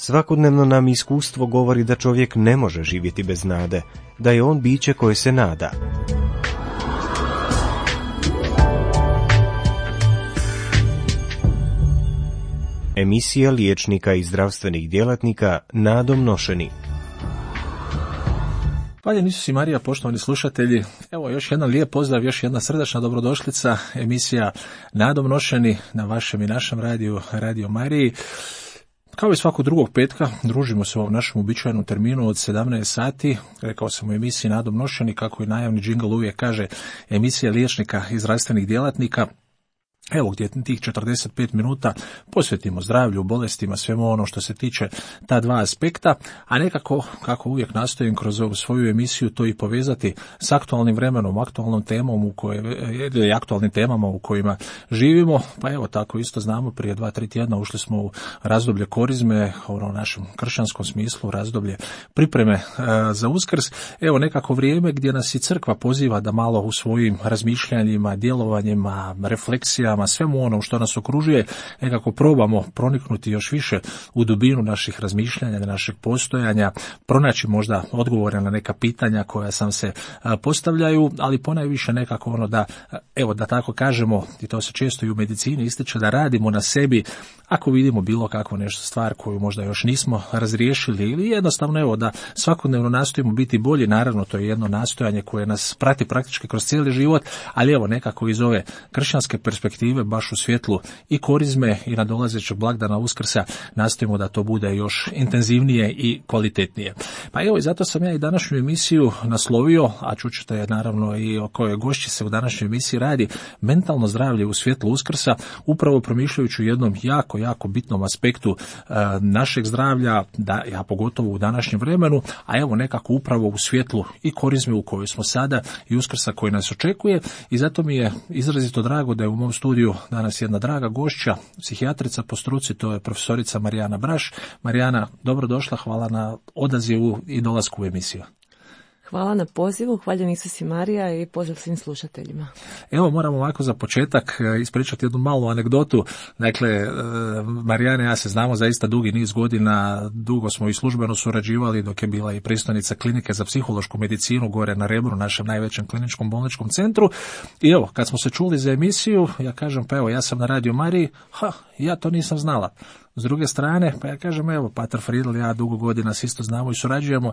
Svakodnevno nam iskustvo govori da čovjek ne može živjeti bez nade, da je on biće koje se nada. Emisija liječnika i zdravstvenih djelatnika Nadom nošeni. Hvala Isus i Marija, poštovani slušatelji. Evo još jedan lijep pozdrav, još jedna srdačna dobrodošlica, emisija Nadom nošeni na vašem i našem radiju, Radio Mariji. Kao i svakog drugog petka, družimo se u ovom našem uobičajenom terminu od 17 sati. Rekao sam u emisiji Nadom nošeni, kako i najavni džingl uvijek kaže, emisija liječnika i zdravstvenih djelatnika. Evo gdje tih 45 minuta posvetimo zdravlju, bolestima, svemu ono što se tiče ta dva aspekta, a nekako, kako uvijek nastojim kroz ovu svoju emisiju, to i povezati s aktualnim vremenom, aktualnom temom aktualnim temama u kojima živimo. Pa evo tako isto znamo, prije 2-3 tjedna ušli smo u razdoblje korizme, u našem kršćanskom smislu, razdoblje pripreme za Uskrs. Evo nekako vrijeme gdje nas i crkva poziva da malo u svojim razmišljanjima, djelovanjima, refleksijama, svemu ono što nas okružuje, nekako probamo proniknuti još više u dubinu naših razmišljanja, našeg postojanja, pronaći možda odgovore na neka pitanja koja sam se postavljaju, ali ponajviše nekako da tako kažemo, i to se često i u medicini ističe, da radimo na sebi ako vidimo bilo kakvu nešto stvar koju možda još nismo razriješili, ili jednostavno da svakodnevno nastojimo biti bolji. Naravno, to je jedno nastojanje koje nas prati praktički kroz cijeli život, ali nekako iz ove kršćanske perspektive, baš u svjetlu i korizme i nadolazećeg blagdana Uskrsa, nastojimo da to bude još intenzivnije i kvalitetnije. Pa i zato sam ja i današnju emisiju naslovio, a čućete naravno i o kojoj gošći se u današnjoj emisiji radi, mentalno zdravlje u svjetlu Uskrsa, upravo promišljajući o jednom jako bitnom aspektu našeg zdravlja, a pogotovo u današnjem vremenu, a nekako upravo u svjetlu i korizme u kojoj smo sada i Uskrsa koji nas očekuje. I zato mi je izrazito drago da je u mom studiju danas jedna draga gošća, psihijatrica po struci, to je profesorica Marijana Braš. Marijana, dobrodošla, hvala na odazivu i dolasku u emisiju. Hvala na pozivu, hvaljen Isus i Marija i pozdrav svim slušateljima. Evo moram ovako za početak ispričati jednu malu anegdotu. Dakle, Marijana i ja se znamo zaista dugi niz godina, dugo smo i službeno surađivali dok je bila i predstojnica klinike za psihološku medicinu gore na Rebru, našem najvećem kliničkom bolničkom centru. I evo, kad smo se čuli za emisiju, ja kažem, pa evo, ja sam na Radio Mariji, ja to nisam znala. S druge strane, pa ja kažem, evo, Pater Friedl, ja dugo godina se isto znamo i surađujemo.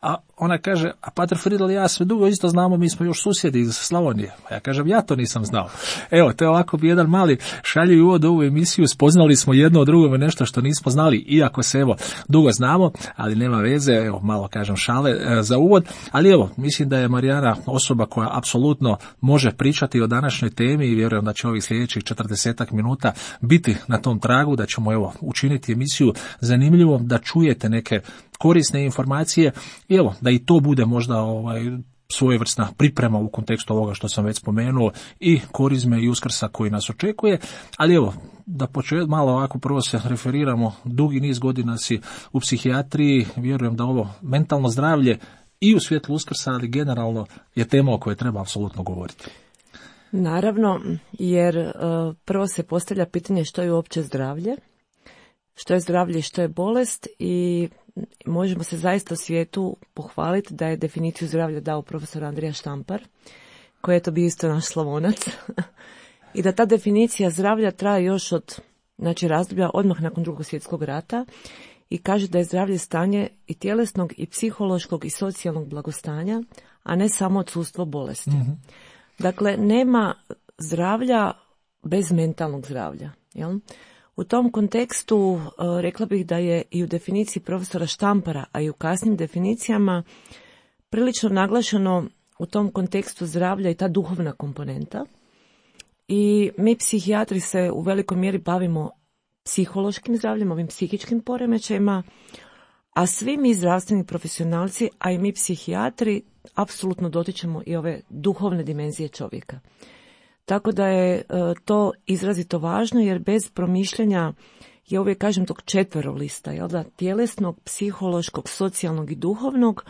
A ona kaže, a Pater Friedl i ja sve dugo isto znamo, mi smo još susjedi iz Slavonije. Ja kažem, ja to nisam znao. Evo, to je ovako bi jedan mali šaljiv uvod u ovu emisiju, spoznali smo jedno od drugome nešto što nismo znali, iako se dugo znamo, ali nema veze, malo kažem šale za uvod. Ali mislim da je Marijana osoba koja apsolutno može pričati o današnjoj temi i vjerujem da će ovih sljedećih 40 minuta biti na tom tragu, da ćemo učiniti emisiju zanimljivom, da čujete neke korisne informacije i da i to bude možda svojevrsna priprema u kontekstu ovoga što sam već spomenuo i korizme i Uskrsa koji nas očekuje. Ali da malo ovako prvo se referiramo, dugi niz godina si u psihijatriji, vjerujem da ovo mentalno zdravlje i u svjetlu Uskrsa, ali generalno je tema o kojoj treba apsolutno govoriti. Naravno, jer prvo se postavlja pitanje što je uopće zdravlje, što je zdravlje i što je bolest, i možemo se zaista u svijetu pohvaliti da je definiciju zdravlja dao profesor Andrija Štampar, koji je to bio isto naš Slavonac, i da ta definicija zdravlja traje još od razdoblja odmah nakon Drugog svjetskog rata i kaže da je zdravlje stanje i tjelesnog i psihološkog i socijalnog blagostanja, a ne samo odsustvo bolesti. Mm-hmm. Dakle, nema zdravlja bez mentalnog zdravlja, jel? U tom kontekstu rekla bih da je i u definiciji profesora Štampara, a i u kasnim definicijama prilično naglašeno u tom kontekstu zdravlja i ta duhovna komponenta. I mi psihijatri se u velikoj mjeri bavimo psihološkim zdravljem, ovim psihičkim poremećajima, a svi mi zdravstveni profesionalci, a i mi psihijatri, apsolutno dotičemo i ove duhovne dimenzije čovjeka. Tako da je to izrazito važno, jer bez promišljanja, ja uvijek kažem tog četverolista, tjelesnog, psihološkog, socijalnog i duhovnog,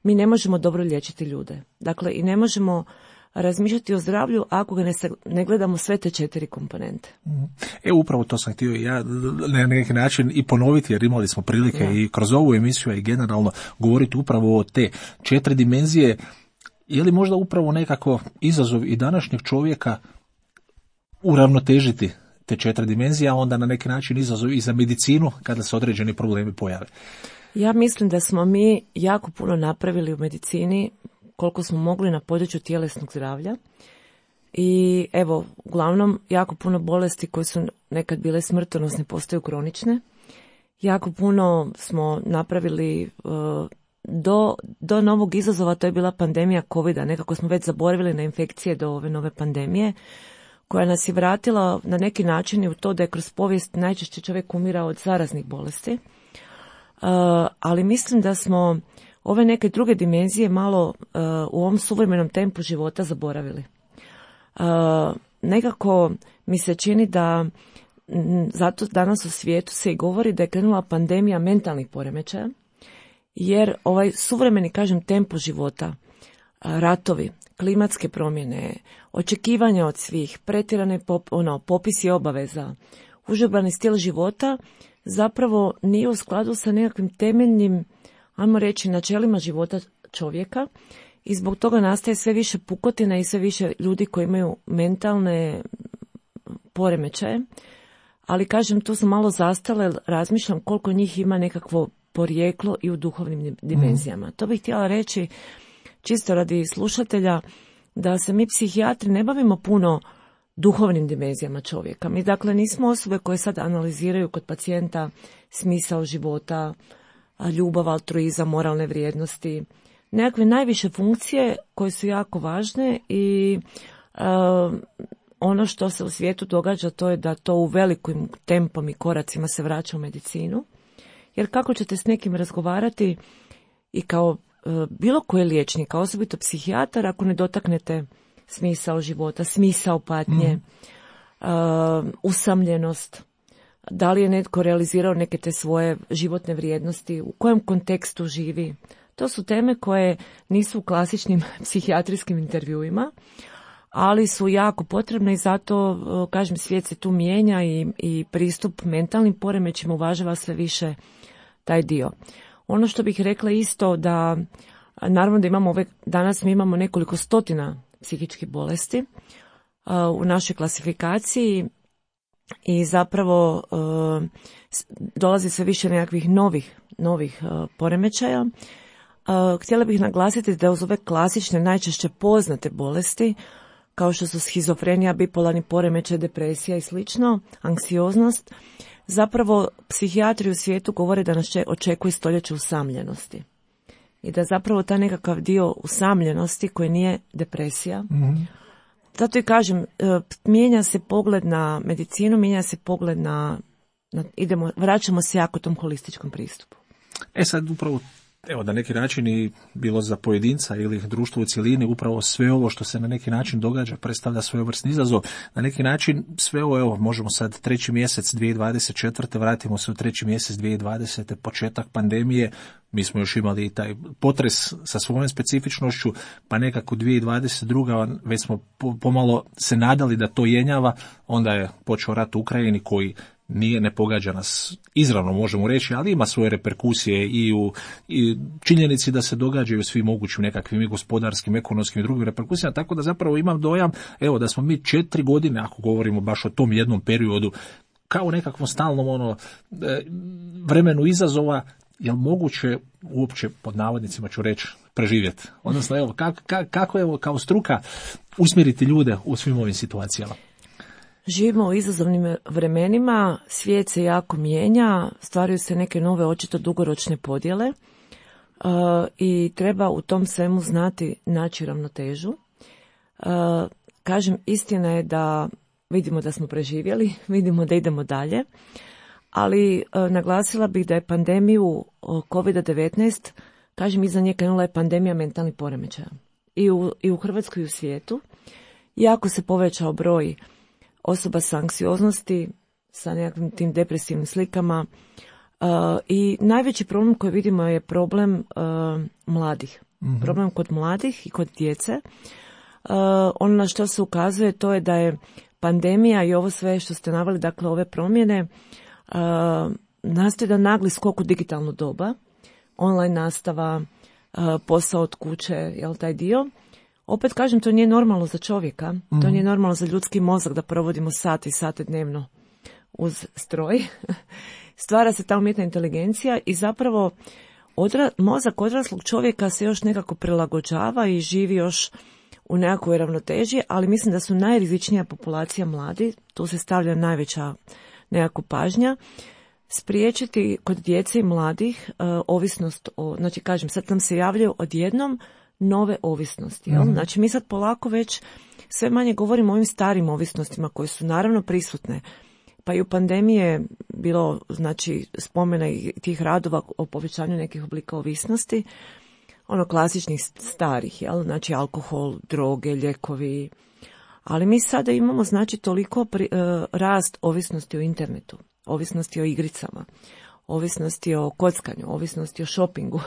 mi ne možemo dobro liječiti ljude. Dakle, i ne možemo razmišljati o zdravlju ako ga ne gledamo sve te 4 komponente. Upravo to sam htio ja na neki način i ponoviti, jer imali smo prilike i kroz ovu emisiju i generalno govoriti upravo o te 4 dimenzije. Je li možda upravo nekako izazov i današnjeg čovjeka uravnotežiti te 4 dimenzije, a onda na neki način izazov i za medicinu kada se određeni problemi pojave? Ja mislim da smo mi jako puno napravili u medicini koliko smo mogli na području tjelesnog zdravlja. I evo, uglavnom, jako puno bolesti koje su nekad bile smrtonosne postaju kronične. Jako puno smo napravili do novog izazova, to je bila pandemija COVID-a. Nekako smo već zaboravili na infekcije do ove nove pandemije, koja nas je vratila na neki način i u to da je kroz povijest najčešće čovjek umirao od zaraznih bolesti. Ali mislim da smo ove neke druge dimenzije malo u ovom suvremenom tempu života zaboravili. Nekako mi se čini da zato danas u svijetu se i govori da je krenula pandemija mentalnih poremećaja, jer ovaj suvremeni, kažem, tempo života, ratovi, klimatske promjene, očekivanja od svih, pretjerane popisi obaveza, užurbani stil života zapravo nije u skladu sa nekakvim temeljnim, ajmo reći, načelima života čovjeka i zbog toga nastaje sve više pukotina i sve više ljudi koji imaju mentalne poremećaje. Ali kažem, tu sam malo zastala, razmišljam koliko njih ima nekakvo porijeklo i u duhovnim dimenzijama. To bih htjela reći, čisto radi slušatelja, da se mi psihijatri ne bavimo puno duhovnim dimenzijama čovjeka. Mi dakle nismo osobe koje sad analiziraju kod pacijenta smisao života, ljubav, altruizam, moralne vrijednosti, nekakve najviše funkcije koje su jako važne i ono što se u svijetu događa to je da to u velikim tempom i koracima se vraća u medicinu. Jer kako ćete s nekim razgovarati i kao bilo koji liječnik, a osobito psihijatar, ako ne dotaknete smisao života, smisao patnje, usamljenost, da li je netko realizirao neke te svoje životne vrijednosti, u kojem kontekstu živi. To su teme koje nisu u klasičnim psihijatrijskim intervjuima, ali su jako potrebne i zato, kažem, svijet se tu mijenja i pristup mentalnim poremećima uvažava sve više taj dio. Ono što bih rekla isto da, naravno da imamo danas mi imamo nekoliko stotina psihičkih bolesti u našoj klasifikaciji i zapravo dolazi sve više nekakvih novih poremećaja. Htjela bih naglasiti da uz ove klasične, najčešće poznate bolesti, kao što su schizofrenija, bipolarni poremećaj, depresija i slično, anksioznost, zapravo psihijatri u svijetu govore da nas očekuje stoljeće usamljenosti. I da zapravo taj nekakav dio usamljenosti koji nije depresija. Zato i kažem, mijenja se pogled na medicinu, mijenja se pogled vraćamo se jako tom holističkom pristupu. Sad upravo, evo, na neki način i bilo za pojedinca ili društvo u cjelini, upravo sve ovo što se na neki način događa predstavlja svojevrsni izazov. Na neki način sve ovo, evo, možemo sad 3. mjesec 2024. vratimo se u 3. mjesec 2020. početak pandemije. Mi smo još imali i taj potres sa svojom specifičnošću, pa nekako 2022. već smo pomalo se nadali da to jenjava, onda je počeo rat u Ukrajini koji ne pogađa nas izravno, možemo reći, ali ima svoje reperkusije i u činjenici da se događaju svi mogućim nekakvim i gospodarskim, ekonomskim i drugim reperkusijama, tako da zapravo imam dojam, evo, da smo mi 4 godine, ako govorimo baš o tom jednom periodu, kao nekakvom stalnom vremenu izazova, je li moguće uopće, pod navodnicima ću reći, preživjeti? Odnosno, evo, kako evo, kao struka usmjeriti ljude u svim ovim situacijama? Živimo u izazovnim vremenima, svijet se jako mijenja, stvaraju se neke nove, očito dugoročne podjele i treba u tom svemu znati naći ravnotežu. Kažem, istina je da vidimo da smo preživjeli, vidimo da idemo dalje, ali naglasila bih da je pandemiju COVID-19, kažem, iza nje krenula je pandemija mentalnih poremećaja. I u Hrvatskoj i u svijetu. Jako se povećao broj osoba sa anksioznosti, sa nekakvim tim depresivnim slikama i najveći problem koji vidimo je problem mladih. Problem kod mladih i kod djece. ono na što se ukazuje to je da je pandemija i ovo sve što ste naveli, dakle ove promjene, nastoji da nagli skok u digitalnu doba, online nastava, posao od kuće, jel taj dio. Opet kažem, to nije normalno za čovjeka, to nije normalno za ljudski mozak da provodimo sate i sate dnevno uz stroj. Stvara se ta umjetna inteligencija i zapravo mozak odraslog čovjeka se još nekako prilagođava i živi još u nekakvoj ravnoteži, ali mislim da su najrizičnija populacija mladi, tu se stavlja najveća nekakva pažnja, spriječiti kod djece i mladih ovisnost, znači kažem, sad nam se javljaju odjednom nove ovisnosti. Jel? Znači mi sad polako već sve manje govorimo o ovim starim ovisnostima koje su naravno prisutne. Pa i u pandemiji je bilo znači spomena i tih radova o povećanju nekih oblika ovisnosti, ono klasičnih starih, jel? Znači alkohol, droge, lijekovi. Ali mi sada imamo znači toliko rast ovisnosti o internetu, ovisnosti o igricama, ovisnosti o kockanju, ovisnosti o šopingu,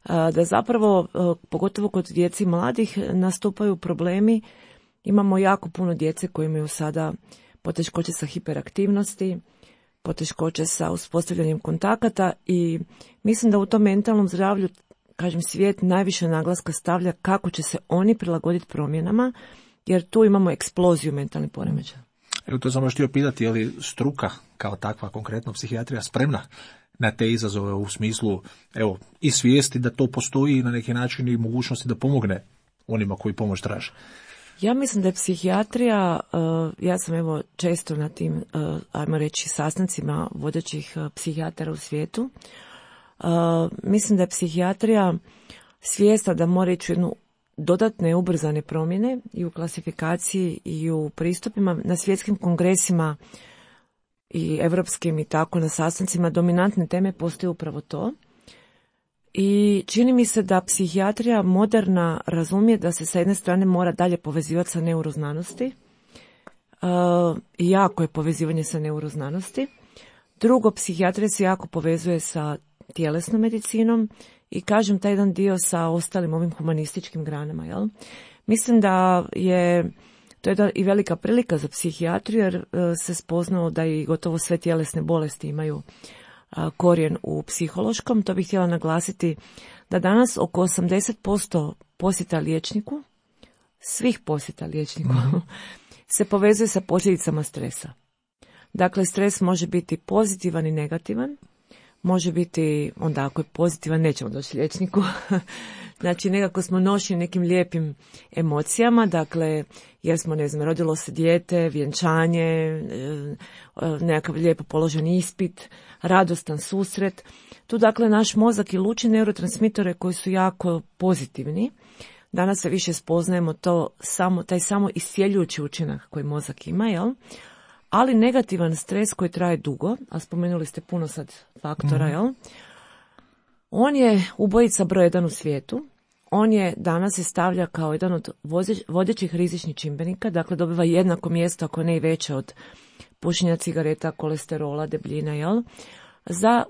da zapravo, pogotovo kod djeci i mladih, nastupaju problemi. Imamo jako puno djece koji imaju sada poteškoće sa hiperaktivnosti, poteškoće sa uspostavljanjem kontakata i mislim da u tom mentalnom zdravlju, kažem, svijet najviše naglaska stavlja kako će se oni prilagoditi promjenama, jer tu imamo eksploziju mentalnih poremećaja. Evo, to sam još htio pitati, je li struka kao takva, konkretno psihijatrija, spremna na te izazove u smislu, evo, i svijesti da to postoji i na neki način i mogućnosti da pomogne onima koji pomoć traže? Ja mislim da je psihijatrija, ja sam evo često na tim, ajmo reći, sastancima vodećih psihijatara u svijetu, mislim da je psihijatrija svjesna da mora ići u jednu dodatne ubrzane promjene i u klasifikaciji i u pristupima. Na svjetskim kongresima i evropskim i tako na sastancima dominantne teme postoje upravo to. I čini mi se da psihijatrija moderna razumije da se sa jedne strane mora dalje povezivati sa neuroznanosti. I jako je povezivanje sa neuroznanosti. Drugo, psihijatrija se jako povezuje sa tjelesnom medicinom i kažem taj jedan dio sa ostalim ovim humanističkim granama. Jel? Mislim da je to je i velika prilika za psihijatriju jer se spoznalo da i gotovo sve tjelesne bolesti imaju korijen u psihološkom. To bih htjela naglasiti da danas oko 80% posjeta liječniku, svih posjeta liječniku, se povezuje sa posljedicama stresa. Dakle, stres može biti pozitivan i negativan. Može biti, onda ako je pozitivan, nećemo doći liječniku. Znači, nekako smo nošeni nekim lijepim emocijama, dakle, jer smo, ne znam, rodilo se dijete, vjenčanje, nekakav lijepo položen ispit, radostan susret. Tu, dakle, naš mozak i luči neurotransmitore koji su jako pozitivni. Danas se više spoznajemo taj samo iscijeljujući učinak koji mozak ima, jel? Ali negativan stres koji traje dugo, a spomenuli ste puno sad faktora, jel? On je ubojica broj 1 u svijetu. On je danas se stavlja kao jedan od vodećih rizičnih čimbenika, dakle dobiva jednako mjesto, ako ne i veće, od pušenja cigareta, kolesterola, debljina, jel? Za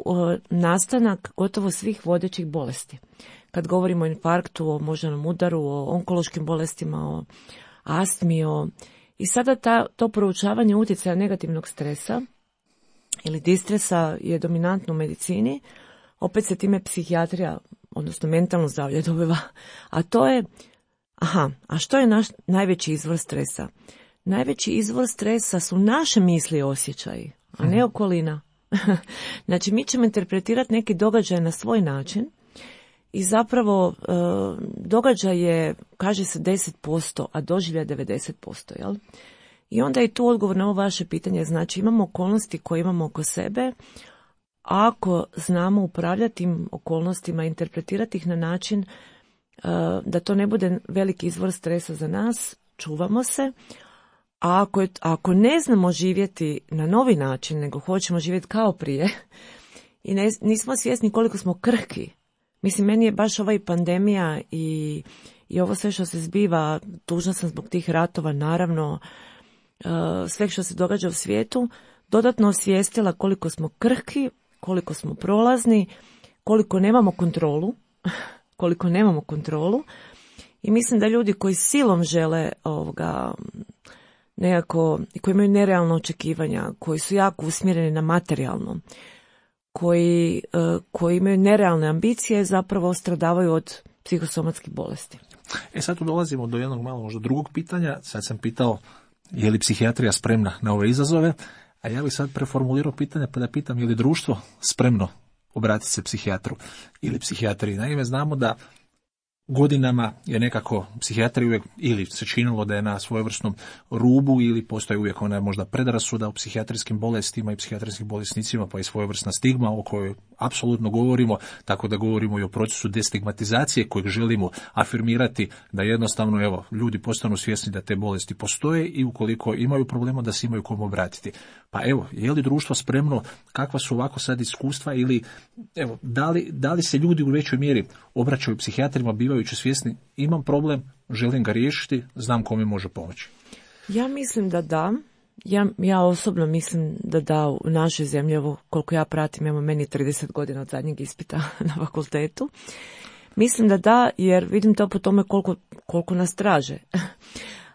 nastanak gotovo svih vodećih bolesti. Kad govorimo o infarktu, o moždanom udaru, o onkološkim bolestima, o astmi, i sada to proučavanje utjecaja negativnog stresa ili distresa je dominantno u medicini. Opet se time psihijatrija, odnosno mentalno zdravlje dobiva. A to je, a što je naš najveći izvor stresa? Najveći izvor stresa su naše misli i osjećaji, a ne okolina. Znači, mi ćemo interpretirati neki događaj na svoj način i zapravo događaj je, kaže se 10%, a doživlja 90%, jel? I onda je tu odgovor na ovo vaše pitanje, znači imamo okolnosti koje imamo oko sebe, a ako znamo upravljati tim okolnostima, interpretirati ih na način da to ne bude veliki izvor stresa za nas, čuvamo se, a ako ne znamo živjeti na novi način, nego hoćemo živjeti kao prije i nismo svjesni koliko smo krhki. Mislim, meni je baš ova i pandemija i ovo sve što se zbiva, tužna sam zbog tih ratova, naravno, sve što se događa u svijetu, dodatno osvijestila koliko smo krhki, koliko smo prolazni, koliko nemamo kontrolu I mislim da ljudi koji silom žele nekako, koji imaju nerealna očekivanja, koji su jako usmjereni na materijalno, koji imaju nerealne ambicije, zapravo stradavaju od psihosomatskih bolesti. Sad tu dolazimo do jednog malo možda drugog pitanja. Sad sam pitao je li psihijatrija spremna na ove izazove, a ja bih sad preformulirao pitanje pa da pitam je li društvo spremno obratiti se psihijatru ili psihijatriji. Naime, znamo da godinama je nekako psihijatrija uvijek ili se činilo da je na svojevrsnom rubu ili postoji uvijek ona možda predrasuda o psihijatrijskim bolestima i psihijatrijskim bolesnicima, pa i svojevrsna stigma o kojoj apsolutno govorimo, tako da govorimo i o procesu destigmatizacije kojeg želimo afirmirati da jednostavno ljudi postanu svjesni da te bolesti postoje i ukoliko imaju problema da se imaju kom obratiti. Pa je li društvo spremno, kakva su ovako sad iskustva ili da li se ljudi u većoj mjeri obraćaju psihijatrima bivajući svjesni imam problem, želim ga riješiti, znam kome može pomoći? Ja mislim da da. Ja osobno mislim da u našoj zemlji, koliko ja pratim, meni 30 godina od zadnjeg ispita na fakultetu. Mislim da, jer vidim to po tome koliko nas traže.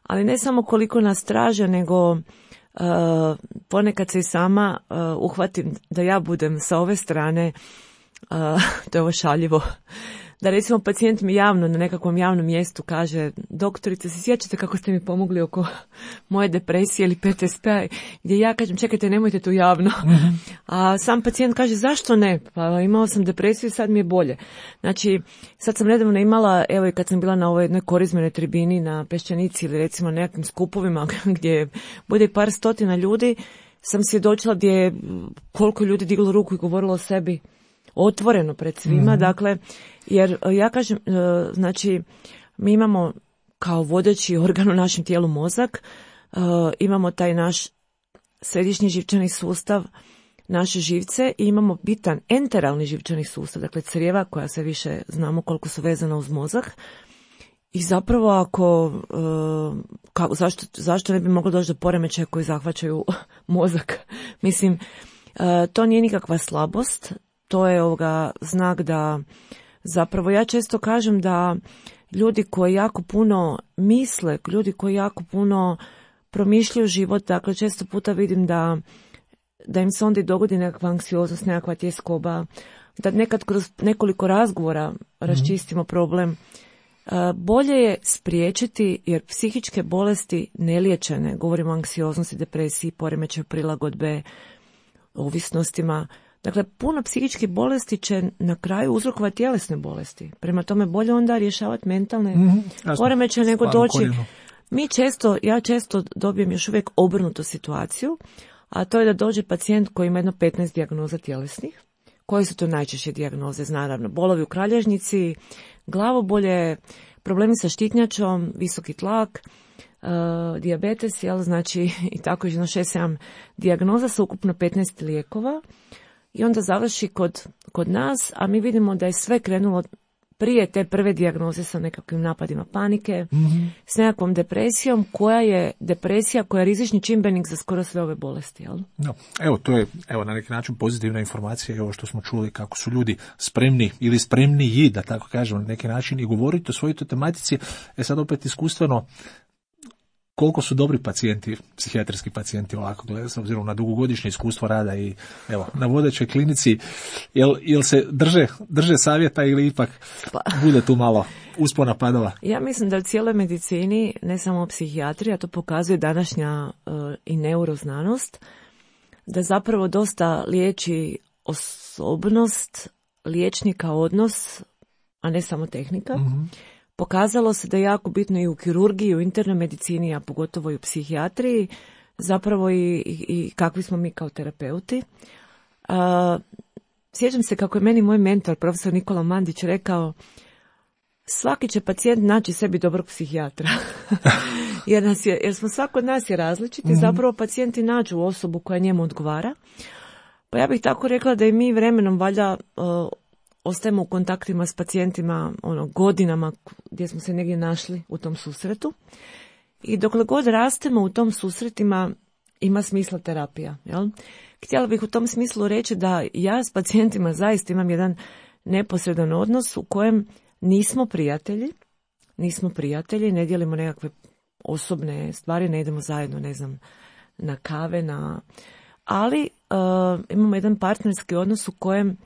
Ali ne samo koliko nas traže, nego ponekad se i sama uhvatim da ja budem sa ove strane, to je ovo šaljivo, da recimo pacijent mi javno na nekakvom javnom mjestu kaže doktorice, se sjećate kako ste mi pomogli oko moje depresije ili PTSP-a, gdje ja kažem čekajte nemojte to javno. Mm-hmm. A sam pacijent kaže zašto ne, pa imao sam depresiju i sad mi je bolje. Znači sad sam nedavno imala, i kad sam bila na ovoj jednoj korizmenoj tribini na Peščanici ili recimo na nekakvim skupovima gdje bude par stotina ljudi, sam svjedočila gdje je koliko ljudi diglo ruku i govorilo o sebi otvoreno pred svima, mm-hmm. Dakle, jer ja kažem, znači, mi imamo kao vodeći organ u našem tijelu mozak, imamo taj naš središnji živčani sustav, naše živce i imamo bitan enteralni živčani sustav, dakle crijeva koja sve više znamo koliko su vezana uz mozak. I zapravo zašto ne bi moglo doći do poremećaja koji zahvaćaju mozak? Mislim, to nije nikakva slabost. To je znak da zapravo ja često kažem da ljudi koji jako puno misle, ljudi koji jako puno promišljaju život, dakle često puta vidim da im se onda i dogodi nekakva anksioznost, nekakva tjeskoba, da nekad kroz nekoliko razgovora raščistimo problem. Bolje je spriječiti jer psihičke bolesti neliječene, govorimo o anksioznosti, depresiji, poremećaju prilagodbe, ovisnostima. Dakle, puno psihičkih bolesti će na kraju uzrokovati tjelesne bolesti. Prema tome bolje onda rješavati mentalne poremećaje nego doći. Ja često dobijem još uvijek obrnutu situaciju, a to je da dođe pacijent koji ima jedno 15 dijagnoza tjelesnih. Koje su to najčešće dijagnoze? Naravno, bolovi u kralježnici, glavobolje, problemi sa štitnjačom, visoki tlak, dijabetes, znači i tako jedno 6-7 dijagnoza sa ukupno 15 lijekova. I onda završi kod nas, a mi vidimo da je sve krenulo prije te prve dijagnoze sa nekakvim napadima panike, s nekakvom depresijom, koja je rizični čimbenik za skoro sve ove bolesti. Jel? No, to je na neki način pozitivna informacija, ovo što smo čuli kako su ljudi spremni ili spremniji, da tako kažemo, na neki način i govoriti o svojoj tematici. Sad opet iskustveno, koliko su dobri pacijenti, psihijatrijski pacijenti ovako, s obzirom na dugogodišnje iskustvo rada i na vodećoj klinici, jel se drže savjeta ili ipak bude tu malo uspona padova? Ja mislim da u cijeloj medicini, ne samo psihijatrija, to pokazuje današnja i neuroznanost, da zapravo dosta liječi osobnost, liječnika odnos, a ne samo tehnika. Mm-hmm. Pokazalo se da je jako bitno i u kirurgiji, i u internoj medicini, a pogotovo i u psihijatriji, zapravo i kakvi smo mi kao terapeuti. Sjećam se kako je meni moj mentor, profesor Nikola Mandić, rekao svaki će pacijent naći sebi dobrog psihijatra. jer smo svako od nas je različiti, zapravo pacijenti nađu osobu koja njemu odgovara. Pa ja bih tako rekla da i mi vremenom valjda ostajemo u kontaktima s pacijentima godinama gdje smo se negdje našli u tom susretu. I dokle god rastemo u tom susretima ima smisla terapija. Jel? Htjela bih u tom smislu reći da ja s pacijentima zaista imam jedan neposredan odnos u kojem nismo prijatelji, nismo prijatelji, ne dijelimo nekakve osobne stvari, ne idemo zajedno, ne znam, na kave, ali imamo jedan partnerski odnos u kojem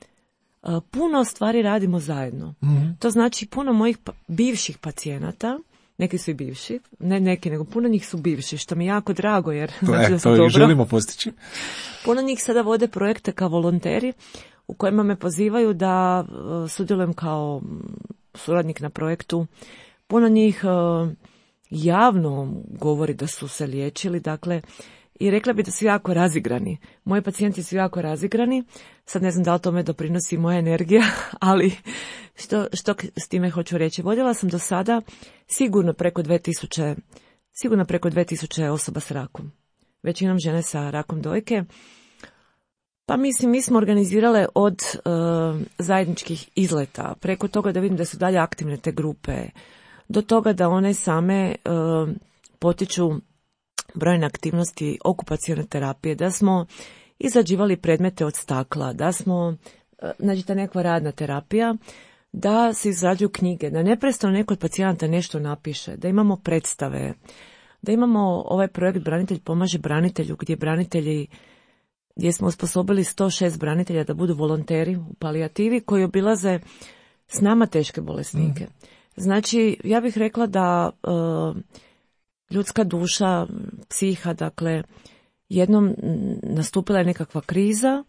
puno stvari radimo zajedno. Mm-hmm. To znači puno mojih bivših pacijenata, neki su i bivši, ne neki, nego puno njih su bivši, što mi je jako drago, jer znači da sam dobro. To želimo postići. Puno njih sada vode projekte kao volonteri, u kojima me pozivaju da sudjelujem kao suradnik na projektu. Puno njih javno govori da su se liječili, dakle, i rekla bi da su jako razigrani. Moji pacijenti su jako razigrani. Sad ne znam da li tome doprinosi moja energija, ali što s time hoću reći. Vodila sam do sada sigurno preko 2000 osoba s rakom. Većinom žene sa rakom dojke. Pa mislim, mi smo organizirale od zajedničkih izleta, preko toga da vidim da su dalje aktivne te grupe, do toga da one same potiču brojne aktivnosti okupacione terapije, da smo izrađivali predmete od stakla, da smo, znači ta nekakva radna terapija, da se izrađuju knjige, da neprestano neko od pacijenata nešto napiše, da imamo predstave, da imamo ovaj projekt Branitelj pomaže branitelju, gdje smo osposobili 106 branitelja da budu volonteri u palijativi koji obilaze s nama teške bolesnike. Znači, ja bih rekla da ljudska duša, psiha, dakle, jednom nastupila je nekakva kriza.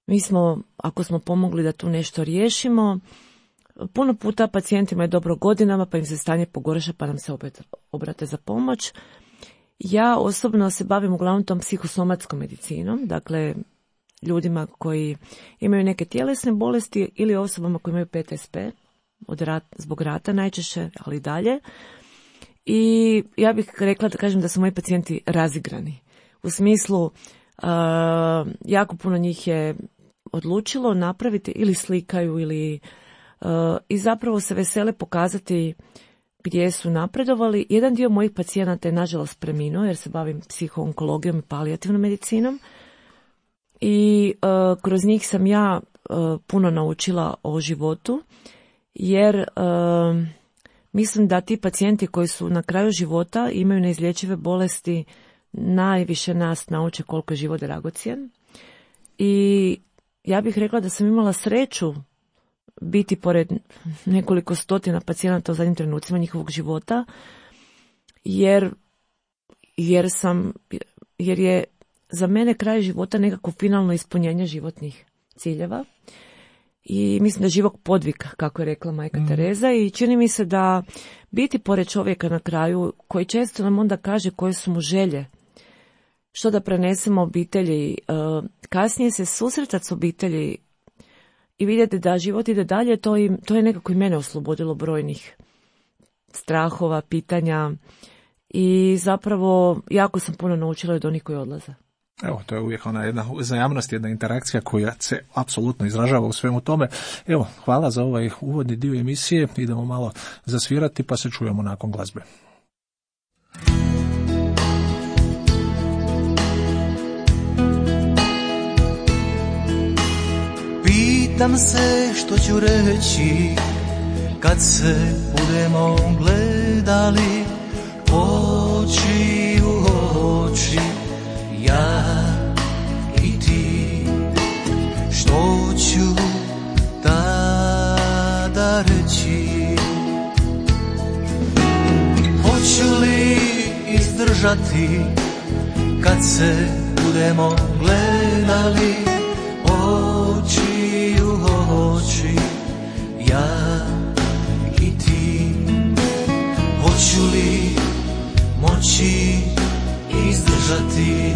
Mi smo, ako smo pomogli da tu nešto riješimo, puno puta pacijentima je dobro godinama, pa im se stanje pogorša, pa nam se opet obrate za pomoć. Ja osobno se bavim uglavnom tom psihosomatskom medicinom, dakle, ljudima koji imaju neke tjelesne bolesti ili osobama koji imaju PTSP, zbog rata najčešće, ali dalje. I ja bih rekla da kažem da su moji pacijenti razigrani. U smislu, jako puno njih je odlučilo napraviti ili slikaju ili i zapravo se vesele pokazati gdje su napredovali. Jedan dio mojih pacijenata je nažalost preminuo jer se bavim psihoonkologijom i palijativnom medicinom i kroz njih sam ja puno naučila o životu, jer mislim da ti pacijenti koji su na kraju života imaju neizlječive bolesti, najviše nas nauče koliko je život dragocjen. I ja bih rekla da sam imala sreću biti pored nekoliko stotina pacijenata u zadnjim trenucima njihovog života, jer je za mene kraj života nekako finalno ispunjenje životnih ciljeva. I mislim da je život podvig, kako je rekla majka Tereza, i čini mi se da biti pored čovjeka na kraju, koji često nam onda kaže koje su mu želje, što da prenesemo obitelji, kasnije se susretati s obitelji i vidjeti da život ide dalje, to je nekako i mene oslobodilo brojnih strahova, pitanja i zapravo jako sam puno naučila od onih koji odlaze. Evo, to je uvijek ona jedna uzajamnost, jedna interakcija koja se apsolutno izražava u svemu tome. Evo, hvala za ovaj uvodni dio emisije. Idemo malo zasvirati pa se čujemo nakon glazbe. Pitam se što ću reći kad se budemo gledali oči u oči, ja i ti. Što ću tada reći? Hoću li izdržati kad se budemo gledali oči u oči, ja i ti? Hoću li moći izdržati?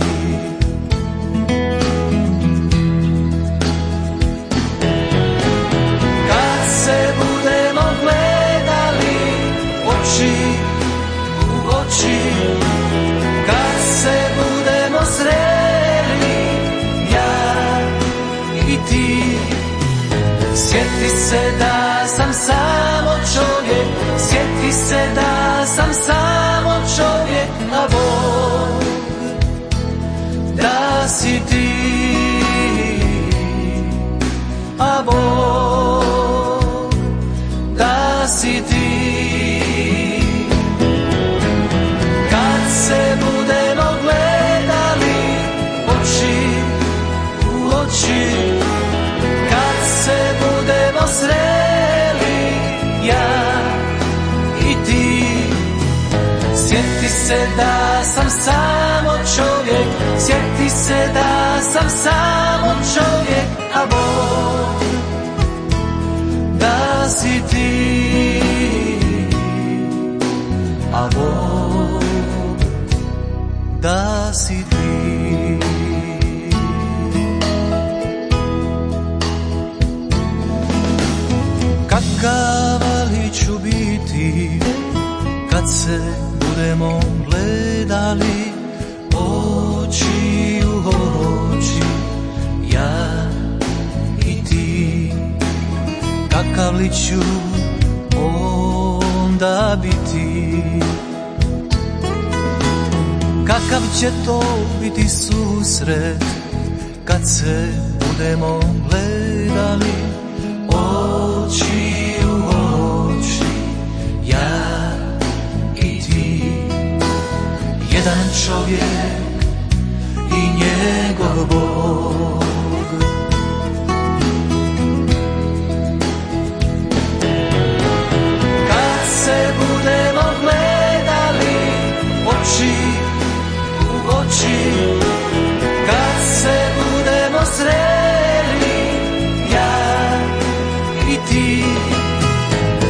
Kad se budemo gledali oči u oči, kad se budemo sreli ja i ti, sjeti se da sam samo čovjek, sjeti se da sam samo čovjek, a Bog da si ti, a Bog da si ti. se da sam samo čovjek, sjeti se da sam samo čovjek, a Bog da si ti, a Bog da si ti. Kakav li ću biti kad se budemo gledali oči u oči, ja i ti. Kakav li ću onda biti, kakav će to biti susret kad se budemo gledali oči u oči, ja i ti. Jedan čovjek i njegov Bog. Kad se budemo gledali oči u oči, kad se budemo sreli ja i ti,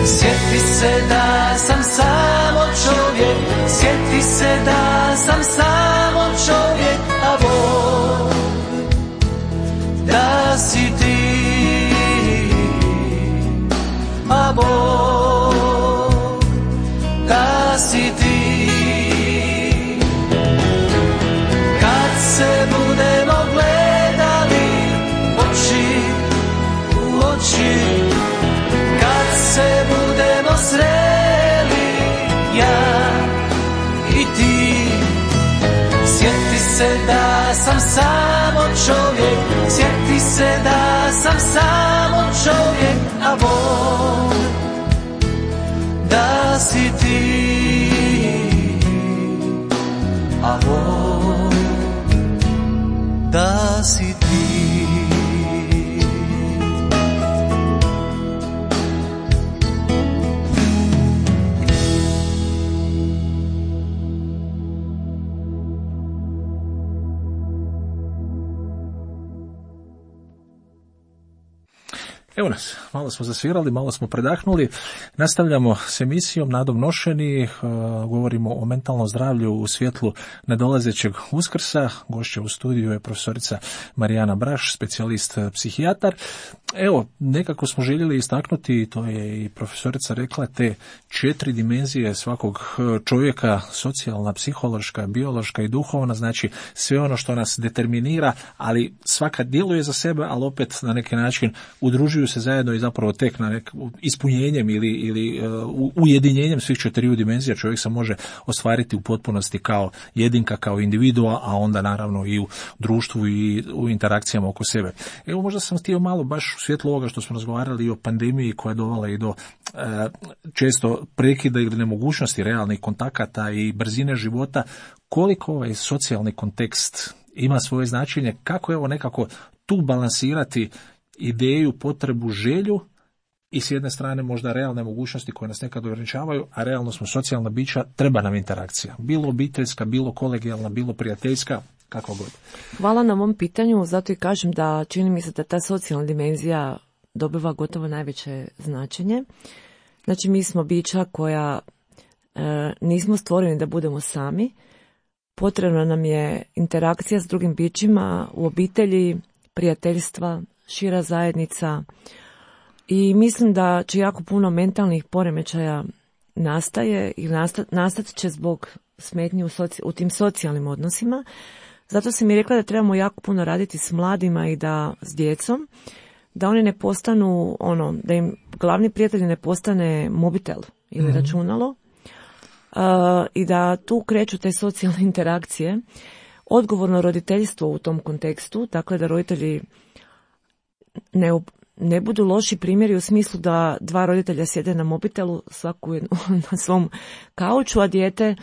sjeti se da sam samo čovjek, sjeti se da sam samo čovjek, a Bog da si ti, a Bog da si ti. Kad se budemo gledali oči u oči, kad se budemo sreli ja i ti, sjeti se da sam samo čovjek, sjeti se da sam samo čovjek, a Bog da si ti, a Bog da si ti. Evo nas, malo smo zasvirali, malo smo predahnuli. Nastavljamo s emisijom Nadom nošeni, govorimo o mentalnom zdravlju u svjetlu nadolazećeg Uskrsa. Gošća u studiju je profesorica Marijana Braš, specijalist psihijatar. Evo, nekako smo željeli istaknuti, to je i profesorica rekla, te 4 dimenzije svakog čovjeka, socijalna, psihološka, biološka i duhovna, znači sve ono što nas determinira, ali svaka djeluje za sebe, ali opet na neki način udružuju se zajedno i zapravo tek na ispunjenjem ili ujedinjenjem svih 4 dimenzija čovjek se može ostvariti u potpunosti kao jedinka, kao individua, a onda naravno i u društvu i u interakcijama oko sebe. Evo, možda sam htio malo baš u svjetlu ovoga što smo razgovarali i o pandemiji koja je dovela i do često prekida ili nemogućnosti realnih kontakata i brzine života, koliko ovaj socijalni kontekst ima svoje značenje, kako evo nekako tu balansirati ideju, potrebu, želju i s jedne strane možda realne mogućnosti koje nas nekad ograničavaju, a realno smo socijalna bića, treba nam interakcija. Bilo obiteljska, bilo kolegijalna, bilo prijateljska, kako god. Hvala na ovom pitanju, zato i kažem da čini mi se da ta socijalna dimenzija dobiva gotovo najveće značenje. Znači, mi smo bića koja nismo stvoreni da budemo sami. Potrebna nam je interakcija s drugim bićima u obitelji, prijateljstva, šira zajednica i mislim da će jako puno mentalnih poremećaja nastaje i nastat će zbog smetnji u tim socijalnim odnosima. Zato sam mi rekla da trebamo jako puno raditi s mladima i da s djecom, da oni ne postanu da im glavni prijatelj ne postane mobitel ili računalo i da tu kreću te socijalne interakcije. Odgovorno roditeljstvo u tom kontekstu, dakle da roditelji ne budu loši primjeri u smislu da 2 roditelja sjede na mobitelu, svaku na svom kauču, a dijete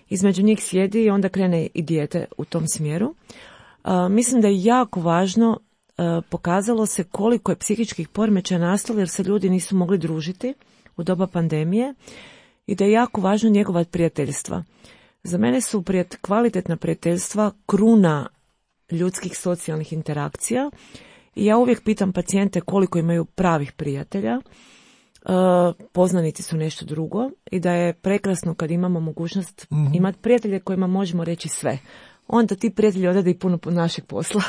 između njih sjedi i onda krene i dijete u tom smjeru. Mislim da je jako važno, pokazalo se koliko je psihičkih poremećaja nastalo jer se ljudi nisu mogli družiti u doba pandemije i da je jako važno njegovati prijateljstva. Za mene su kvalitetna prijateljstva kruna ljudskih socijalnih interakcija i ja uvijek pitam pacijente koliko imaju pravih prijatelja. Poznanici su nešto drugo i da je prekrasno kad imamo mogućnost imati prijatelje kojima možemo reći sve. Onda ti prijatelji odrede i puno našeg posla.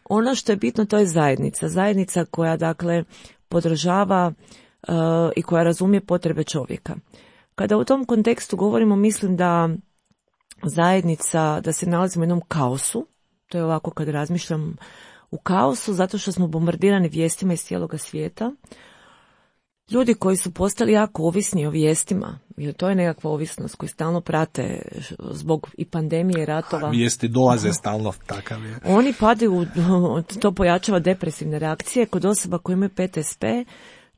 Ono što je bitno, to je zajednica. Zajednica koja, dakle, podržava i koja razumije potrebe čovjeka. Kada u tom kontekstu govorimo, mislim da zajednica, da se nalazimo u jednom kaosu, to je ovako kad razmišljam u kaosu, zato što smo bombardirani vijestima iz cijeloga svijeta. Ljudi koji su postali jako ovisni o vijestima, jer to je nekakva ovisnost koju stalno prate zbog i pandemije, ratova. Vijesti dolaze stalno, takav je. Oni padaju, to pojačava depresivne reakcije. Kod osoba koji imaju PTSP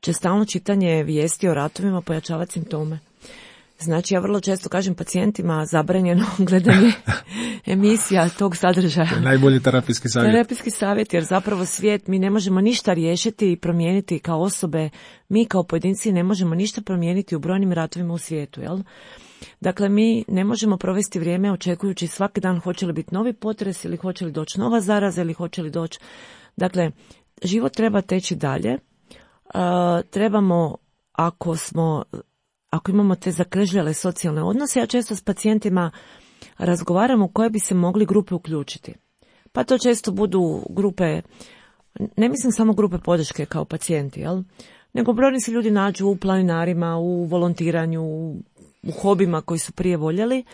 će stalno čitanje vijesti o ratovima pojačavati simptome. Znači, ja vrlo često kažem pacijentima zabranjeno gledanje emisija tog sadržaja. Najbolji terapijski savjet. Terapijski savjet, jer zapravo svijet, mi ne možemo ništa riješiti i promijeniti kao osobe, mi kao pojedinci ne možemo ništa promijeniti u brojnim ratovima u svijetu, jel? Dakle, mi ne možemo provesti vrijeme očekujući svaki dan hoće li biti novi potres ili hoće li doći nova zaraza ili hoće li doći. Dakle, život treba teći dalje. Trebamo, ako imamo te zakržljale socijalne odnose, ja često s pacijentima razgovaram u koje bi se mogli grupe uključiti. Pa to često budu grupe, ne mislim samo grupe podrške kao pacijenti, jel? Nego brojni se ljudi nađu u planinarima, u volontiranju, u hobima koji su prije voljeli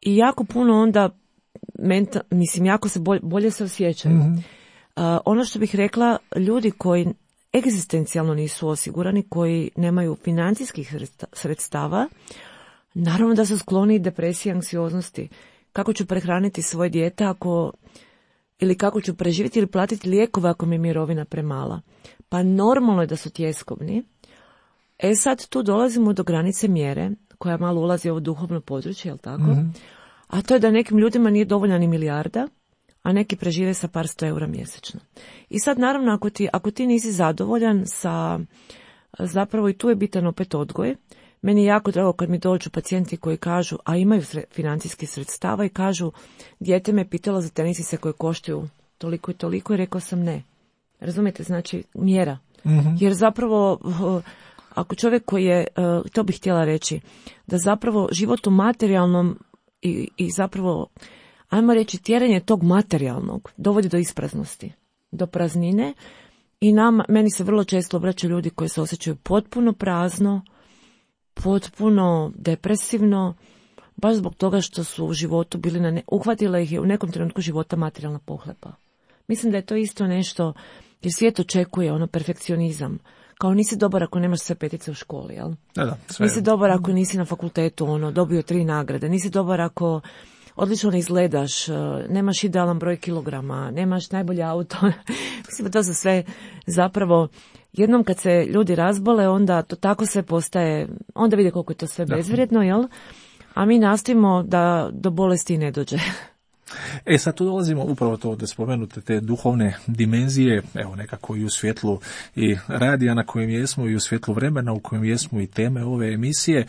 i jako puno onda, jako se bolje se osjećaju. Mm-hmm. Ono što bih rekla, ljudi koji egzistencijalno nisu osigurani, koji nemaju financijskih sredstava, naravno da su skloni depresiji i anksioznosti. Kako ću prehraniti svoje dijete ili kako ću preživjeti ili platiti lijekove ako mi je mirovina premala. Pa normalno je da su tjeskobni. Sad tu dolazimo do granice mjere, koja malo ulazi u ovo duhovno područje, jel tako? Mm-hmm. A to je da nekim ljudima nije dovoljna ni milijarda, a neki prežive sa par 100 eura mjesečno. I sad naravno ako ti nisi zadovoljan sa, zapravo i tu je bitan opet odgoj. Meni je jako drago kad mi dođu pacijenti koji kažu, a imaju financijskih sredstava i kažu, dijete me pitalo za tenisice koje koštaju toliko i toliko i rekao sam ne. Razumijete, znači mjera. Mm-hmm. Jer zapravo ako čovjek koji je, to bih htjela reći, da zapravo život u materijalnom i zapravo ajmo reći, tjeranje tog materijalnog dovodi do ispraznosti, do praznine i meni se vrlo često obraćaju ljudi koji se osjećaju potpuno prazno, potpuno depresivno, baš zbog toga što su u životu bili uhvatila ih je u nekom trenutku života materijalna pohlepa. Mislim da je to isto nešto, jer svijet očekuje perfekcionizam. Kao nisi dobar ako nemaš sve petice u školi, jel? Da, nisi dobar ako nisi na fakultetu dobio 3 nagrade, nisi dobar ako odlično ne izgledaš, nemaš idealan broj kilograma, nemaš najbolje auto. Mislim da to su sve zapravo, jednom kad se ljudi razbole, onda to tako sve postaje, onda vide koliko je to sve bezvrijedno, jel? A mi nastojimo da do bolesti ne dođe. Sad tu dolazimo upravo to da spomenute te duhovne dimenzije, evo nekako i u svjetlu i radija na kojem jesmo i u svjetlu vremena u kojem jesmo i teme ove emisije.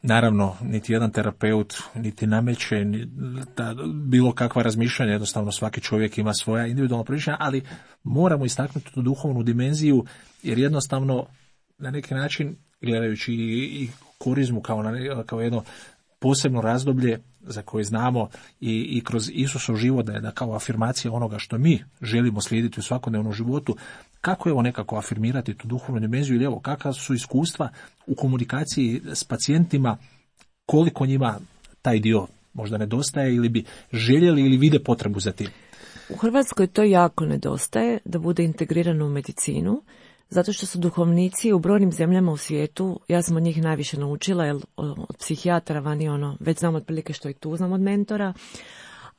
Naravno, niti jedan terapeut niti nameće bilo kakva razmišljanja, jednostavno svaki čovjek ima svoja individualna promišljanja, ali moramo istaknuti tu duhovnu dimenziju, jer jednostavno na neki način, gledajući i korizmu kao jedno posebno razdoblje za koje znamo i kroz Isusov život da kao afirmacija onoga što mi želimo slijediti u svakodnevnom životu, kako evo nekako afirmirati tu duhovnu dimenziju ili evo kakva su iskustva u komunikaciji s pacijentima, koliko njima taj dio možda nedostaje ili bi željeli ili vide potrebu za tim. U Hrvatskoj to jako nedostaje da bude integrirano u medicinu, zato što su duhovnici u brojnim zemljama u svijetu, ja sam od njih najviše naučila, jer od psihijatara vani već znam otprilike što i tu znam od mentora,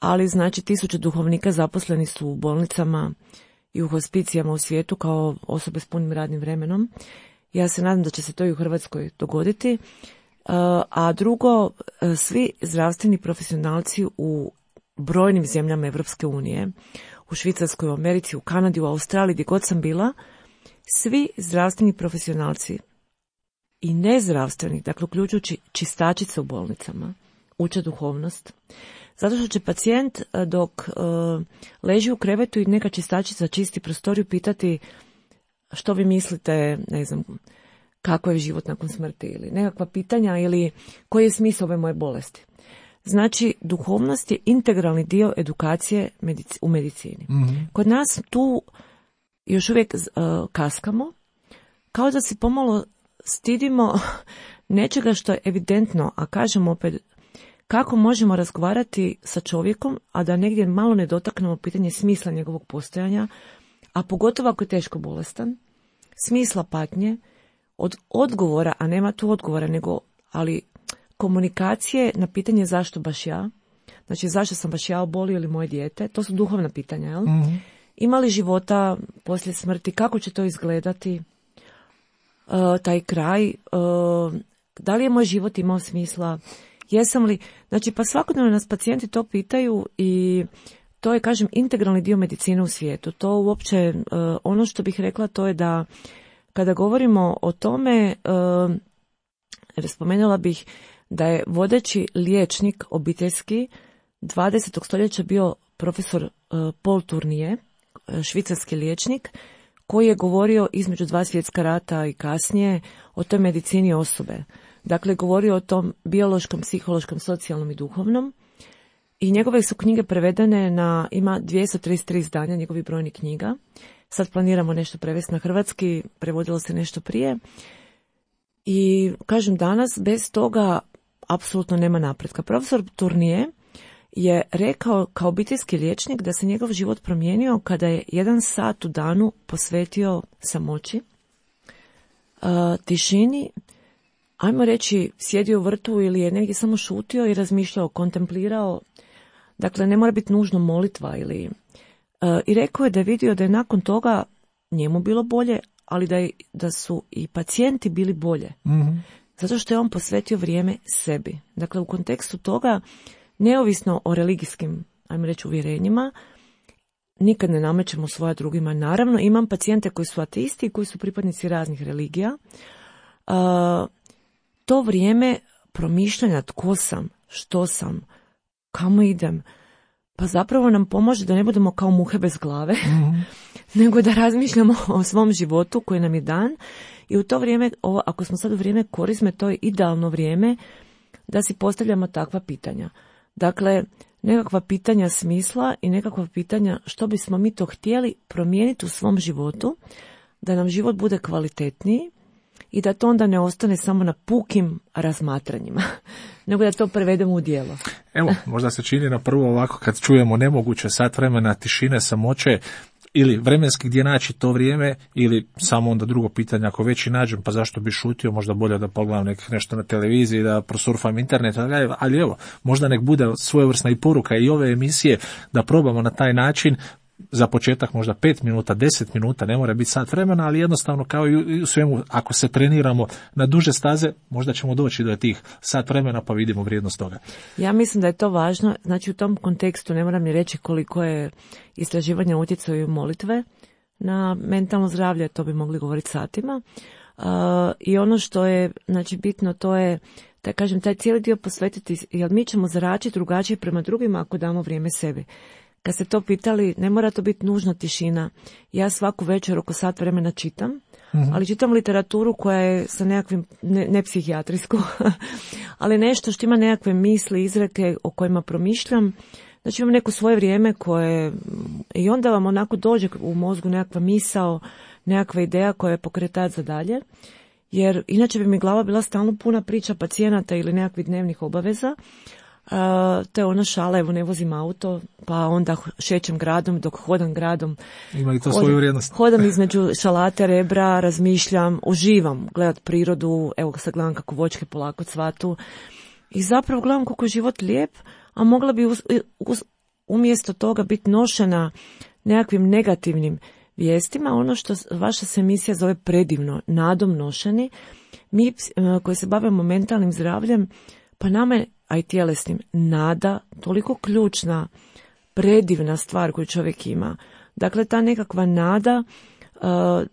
ali znači 1000 duhovnika zaposleni su u bolnicama i u hospicijama u svijetu kao osobe s punim radnim vremenom. Ja se nadam da će se to i u Hrvatskoj dogoditi. A drugo, svi zdravstveni profesionalci u brojnim zemljama Evropske unije, u Švicarskoj, u Americi, u Kanadi, u Australiji, gdje god sam bila, svi zdravstveni profesionalci i nezdravstveni, dakle uključujući čistačice u bolnicama, uče duhovnost. Zato što će pacijent dok leži u krevetu i neka čistačica čisti prostoriju pitati što vi mislite, ne znam, kako je život nakon smrti ili nekakva pitanja ili koji je smisao ove moje bolesti. Znači, duhovnost je integralni dio edukacije u medicini. Mm-hmm. Kod nas tu još uvijek kaskamo, kao da se pomalo stidimo nečega što je evidentno, a kažemo opet kako možemo razgovarati sa čovjekom, a da negdje malo ne dotaknemo pitanje smisla njegovog postojanja, a pogotovo ako je teško bolestan, smisla patnje, od odgovora, a nema tu odgovora, ali komunikacije na pitanje zašto baš ja, znači zašto sam baš ja obolio ili moje dijete, to su duhovna pitanja, jel? Mm-hmm. Ima li života poslije smrti, kako će to izgledati, taj kraj, da li je moj život imao smisla, jesam li, znači pa svakodnevno nas pacijenti to pitaju i to je, kažem, integralni dio medicine u svijetu. To uopće, ono što bih rekla to je da kada govorimo o tome, spomenula bih da je vodeći liječnik obiteljski 20. stoljeća bio profesor Paul Tournier, švicarski liječnik, koji je govorio između 2 svjetska rata i kasnije o toj medicini osobe. Dakle, govorio o tom biološkom, psihološkom, socijalnom i duhovnom. I njegove su knjige prevedene ima 233 izdanja njegovih brojnih knjiga. Sad planiramo nešto prevesti na hrvatski, prevodilo se nešto prije. I kažem, danas bez toga apsolutno nema napretka. Profesor Tournier je rekao kao obiteljski liječnik da se njegov život promijenio kada je 1 sat u danu posvetio samoći, tišini, ajmo reći sjedio u vrtu ili je negdje samo šutio i razmišljao, kontemplirao. Dakle, ne mora biti nužno molitva i rekao je da je vidio da je nakon toga njemu bilo bolje, ali da su i pacijenti bili bolje. Mm-hmm. Zato što je on posvetio vrijeme sebi. Dakle, u kontekstu toga, neovisno o religijskim, ajmo reći, uvjerenjima, nikad ne namećemo svoja drugima. Naravno, imam pacijente koji su ateisti i koji su pripadnici raznih religija. To vrijeme promišljanja tko sam, što sam, kamo idem, pa zapravo nam pomože da ne budemo kao muhe bez glave, mm-hmm. nego da razmišljamo o svom životu koji nam je dan i u to vrijeme, ako smo sad u vrijeme korizme, to je idealno vrijeme da si postavljamo takva pitanja. Dakle, nekakva pitanja smisla i nekakva pitanja što bismo mi to htjeli promijeniti u svom životu, da nam život bude kvalitetniji i da to onda ne ostane samo na pukim razmatranjima, nego da to prevedemo u djelo. Evo, možda se čini na prvo ovako kad čujemo nemoguće sat vremena tišine, samoće, ili vremenski gdje naći to vrijeme, ili samo onda drugo pitanje, ako već i nađem, pa zašto bi šutio, možda bolje da pogledam nešto na televiziji, da prosurfam internet, ali evo, možda nek bude svojevrsna i poruka i ove emisije, da probamo na taj način, za početak možda 5 minuta, 10 minuta, ne mora biti sat vremena, ali jednostavno kao i u svemu, ako se treniramo na duže staze, možda ćemo doći do tih sat vremena pa vidimo vrijednost toga. Ja mislim da je to važno, znači u tom kontekstu ne moram ni reći koliko je istraživanja utjecaju molitve na mentalno zdravlje, to bi mogli govoriti satima. I ono što je znači bitno to je da kažem taj cijeli dio posvetiti, jer mi ćemo zračiti drugačije prema drugima ako damo vrijeme sebi. Kad ste to pitali, ne mora to biti nužno tišina. Ja svaku večer oko sat vremena čitam, mm-hmm. ali čitam literaturu koja je sa nekakvim, ne psihijatrijsku, ali nešto što ima nekakve misli, izreke o kojima promišljam. Znači imam neko svoje vrijeme koje, i onda vam onako dođe u mozgu nekakva misao, nekakva ideja koja je pokretač za dalje. Jer inače bi mi glava bila stalno puna priča pacijenata ili nekakvih dnevnih obaveza. To je ono šala, evo ne vozim auto, pa onda šećem gradom, dok hodam gradom. Ima li to svoju vrijednost? Hodam između šalate, rebra, razmišljam, uživam, gledat prirodu, evo sad gledam kako voćke polako cvatu. I zapravo gledam kako je život lijep, a mogla bi umjesto toga biti nošena nekakvim negativnim vijestima. Ono što vaša se emisija zove predivno, nadom nošeni. Mi koji se bavimo mentalnim zdravljem, pa nama je, a i tjelesnim, nada toliko ključna, predivna stvar koju čovjek ima. Dakle, ta nekakva nada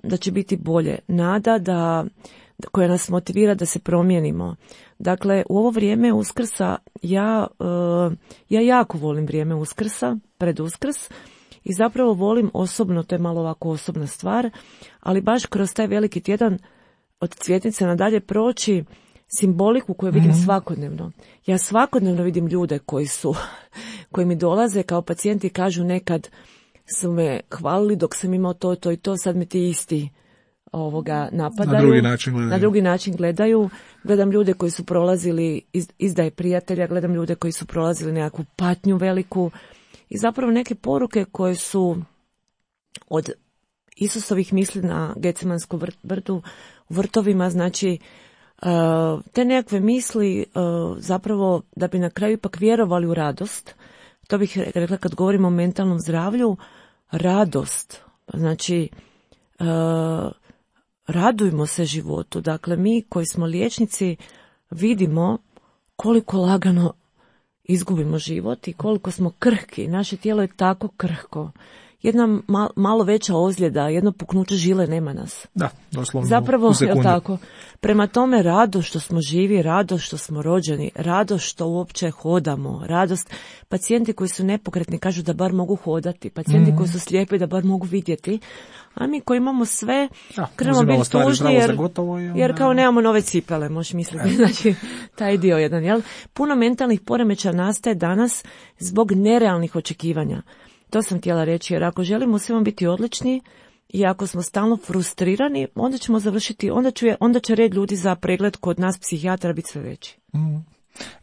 da će biti bolje, nada koja nas motivira da se promijenimo. Dakle, u ovo vrijeme Uskrsa ja jako volim vrijeme Uskrsa, pred Uskrs, i zapravo volim osobno, to je malo ovako osobna stvar, ali baš kroz taj veliki tjedan od Cvjetnice nadalje proći simboliku koju vidim svakodnevno. Ja svakodnevno vidim ljude koji mi dolaze kao pacijenti i kažu nekad su me hvalili dok sam imao to i to, sad me ti isti napadaju. Na drugi način gledaju. Gledam ljude koji su prolazili izdaje prijatelja, gledam ljude koji su prolazili nekakvu patnju veliku i zapravo neke poruke koje su od Isusovih misli na Gecemanskom vrtu, u vrtovima, znači te nekakve misli zapravo da bi na kraju ipak vjerovali u radost. To bih rekla kad govorimo o mentalnom zdravlju, radost, znači radujmo se životu. Dakle, mi koji smo liječnici vidimo koliko lagano izgubimo život i koliko smo krhki. Naše tijelo je tako krhko. Jedna malo veća ozljeda, jedno puknuće žile, nema nas. Da, doslovno zapravo, u sekundu. Tako. Prema tome, radost što smo živi, radost što smo rođeni, radost što uopće hodamo, radost. Pacijenti koji su nepokretni kažu da bar mogu hodati, pacijenti koji su slijepi da bar mogu vidjeti, a mi koji imamo sve, krenemo biti tužni jer kao nemamo nove cipele, možeš misliti. Znači, taj dio jedan, jel? Puno mentalnih poremećaja nastaje danas zbog nerealnih očekivanja. To sam htjela reći, jer ako želimo svima biti odlični i ako smo stalno frustrirani, onda ćemo završiti, onda će red ljudi za pregled kod nas psihijatra biti sve veći.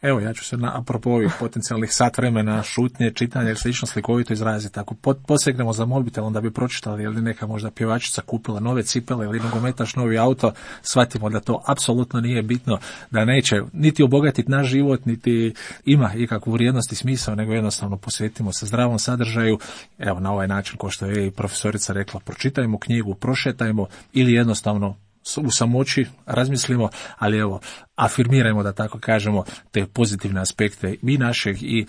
Evo, ja ću se apropo ovih potencijalnih sat vremena šutnje, čitanja ili slično slikovito izraziti. Ako posegnemo za mobitelom da bi pročitali ili neka možda pjevačica kupila nove cipele ili nogometaš novi auto, shvatimo da to apsolutno nije bitno, da neće niti obogatiti naš život, niti ima ikakvu vrijednost i smisao, nego jednostavno posvetimo se zdravom sadržaju. Evo, na ovaj način, kao što je i profesorica rekla, pročitajmo knjigu, prošetajmo ili jednostavno u samoći razmislimo, ali evo, afirmirajmo, da tako kažemo, te pozitivne aspekte i našeg i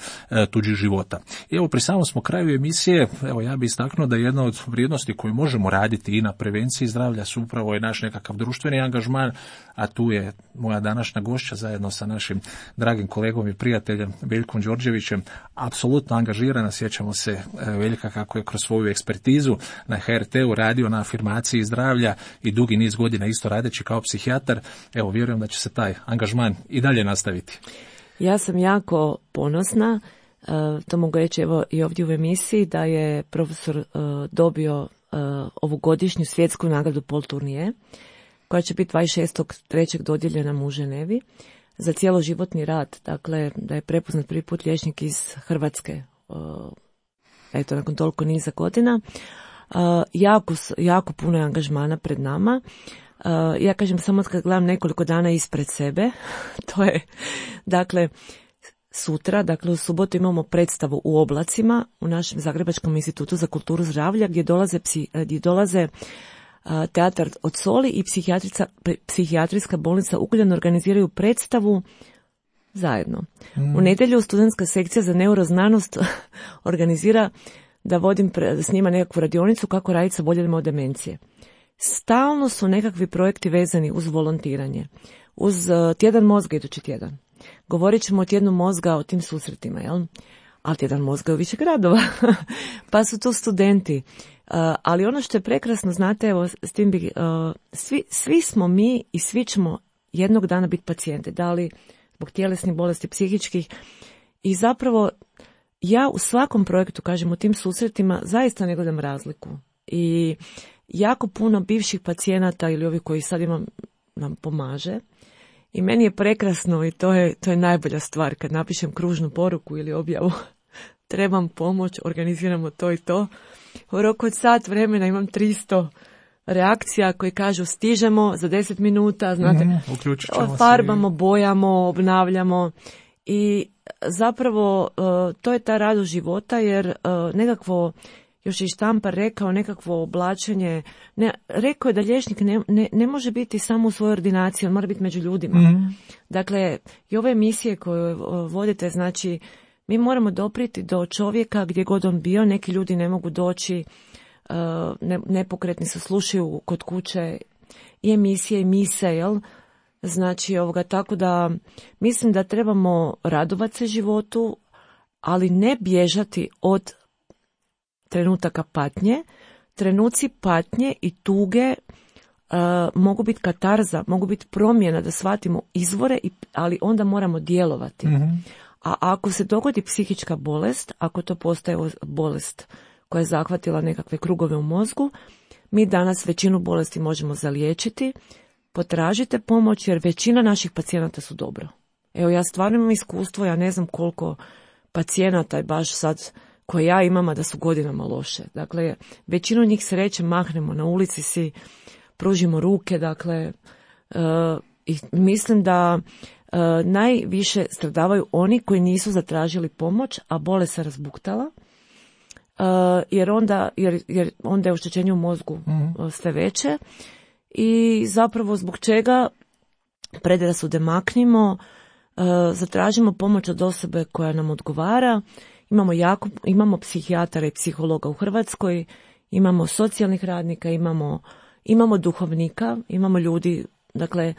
tuđih života. I evo, pri samom smo kraju emisije, evo, ja bih istaknuo da jedna od vrijednosti koju možemo raditi i na prevenciji zdravlja su upravo je naš nekakav društveni angažman, a tu je moja današnja gošća zajedno sa našim dragim kolegom i prijateljem Veljkom Đorđevićem apsolutno angažirana. Sjećamo se Veljka kako je kroz svoju ekspertizu na HRT-u radio na afirmaciji zdravlja i dugi niz godina isto radeći kao psihijatar. Evo, vjerujem da će se taj angažman i dalje nastaviti. Ja sam jako ponosna, to mogu reći evo i ovdje u emisiji, da je profesor dobio ovu godišnju svjetsku nagradu Paul Tournier, koja će biti 26.3. dodijeljena u Ženevi za cjeloživotni rad. Dakle, da je prepoznat prvi put liječnik iz Hrvatske, eto, nakon toliko niza godina. Jako puno je angažmana pred nama. Ja kažem samo kad gledam nekoliko dana ispred sebe, to je, dakle, sutra, dakle u subotu imamo predstavu u Oblacima u našem Zagrebačkom institutu za kulturu zdravlja gdje dolaze Teatar od Soli i psihijatrijska bolnica Ugljan organiziraju predstavu zajedno. U nedjelju studentska sekcija za neuroznanost organizira da snima nekakvu radionicu kako raditi sa oboljelima od demencije. Stalno su nekakvi projekti vezani uz volontiranje, uz tjedan mozga idući tjedan. Govorit ćemo o tjednu mozga, o tim susretima, jel? Ali tjedan mozga je u više gradova, pa su tu studenti. Ali ono što je prekrasno, znate, evo, s tim svi smo mi i svi ćemo jednog dana biti pacijenti, da li zbog tjelesnih bolesti, psihičkih. I zapravo ja u svakom projektu, kažem, u tim susretima zaista ne gledam razliku. I jako puno bivših pacijenata ili ovi koji sad nam pomaže. I meni je prekrasno i to je najbolja stvar kad napišem kružnu poruku ili objavu. Trebam pomoć, organiziramo to i to. U roku od sat vremena imam 300 reakcija koji kažu stižemo za 10 minuta, znate, farbamo, bojamo, obnavljamo i zapravo to je ta radost života, jer nekakvo, još je i Štampar rekao, nekakvo oblačenje, rekao je da liječnik ne može biti samo u svojoj ordinaciji, on mora biti među ljudima. Dakle, i ove emisije koje vodite, znači, mi moramo dopriti do čovjeka gdje god on bio, neki ljudi ne mogu doći, nepokretni se slušaju kod kuće i emisije i mise, jel? Znači, tako da mislim da trebamo radovati se životu, ali ne bježati od trenutaka patnje. Trenuci patnje i tuge mogu biti katarza, mogu biti promjena da shvatimo izvore, ali onda moramo djelovati. Mm-hmm. A ako se dogodi psihička bolest, ako to postaje bolest koja je zahvatila nekakve krugove u mozgu, mi danas većinu bolesti možemo zaliječiti. Potražite pomoć jer većina naših pacijenata su dobro. Evo, ja stvarno imam iskustvo, ja ne znam koliko pacijenata je baš sad koje ja imam, a da su godinama loše. Dakle, većinu njih sreće mahnemo na ulici, si pružimo ruke, dakle, i mislim da najviše stradavaju oni koji nisu zatražili pomoć, a bolest se razbuktala, jer onda je oštećenje u mozgu sve veće i zapravo zbog čega predrasude maknimo, zatražimo pomoć od osobe koja nam odgovara. Imamo psihijatara i psihologa u Hrvatskoj, imamo socijalnih radnika, imamo duhovnika, imamo ljudi, dakle,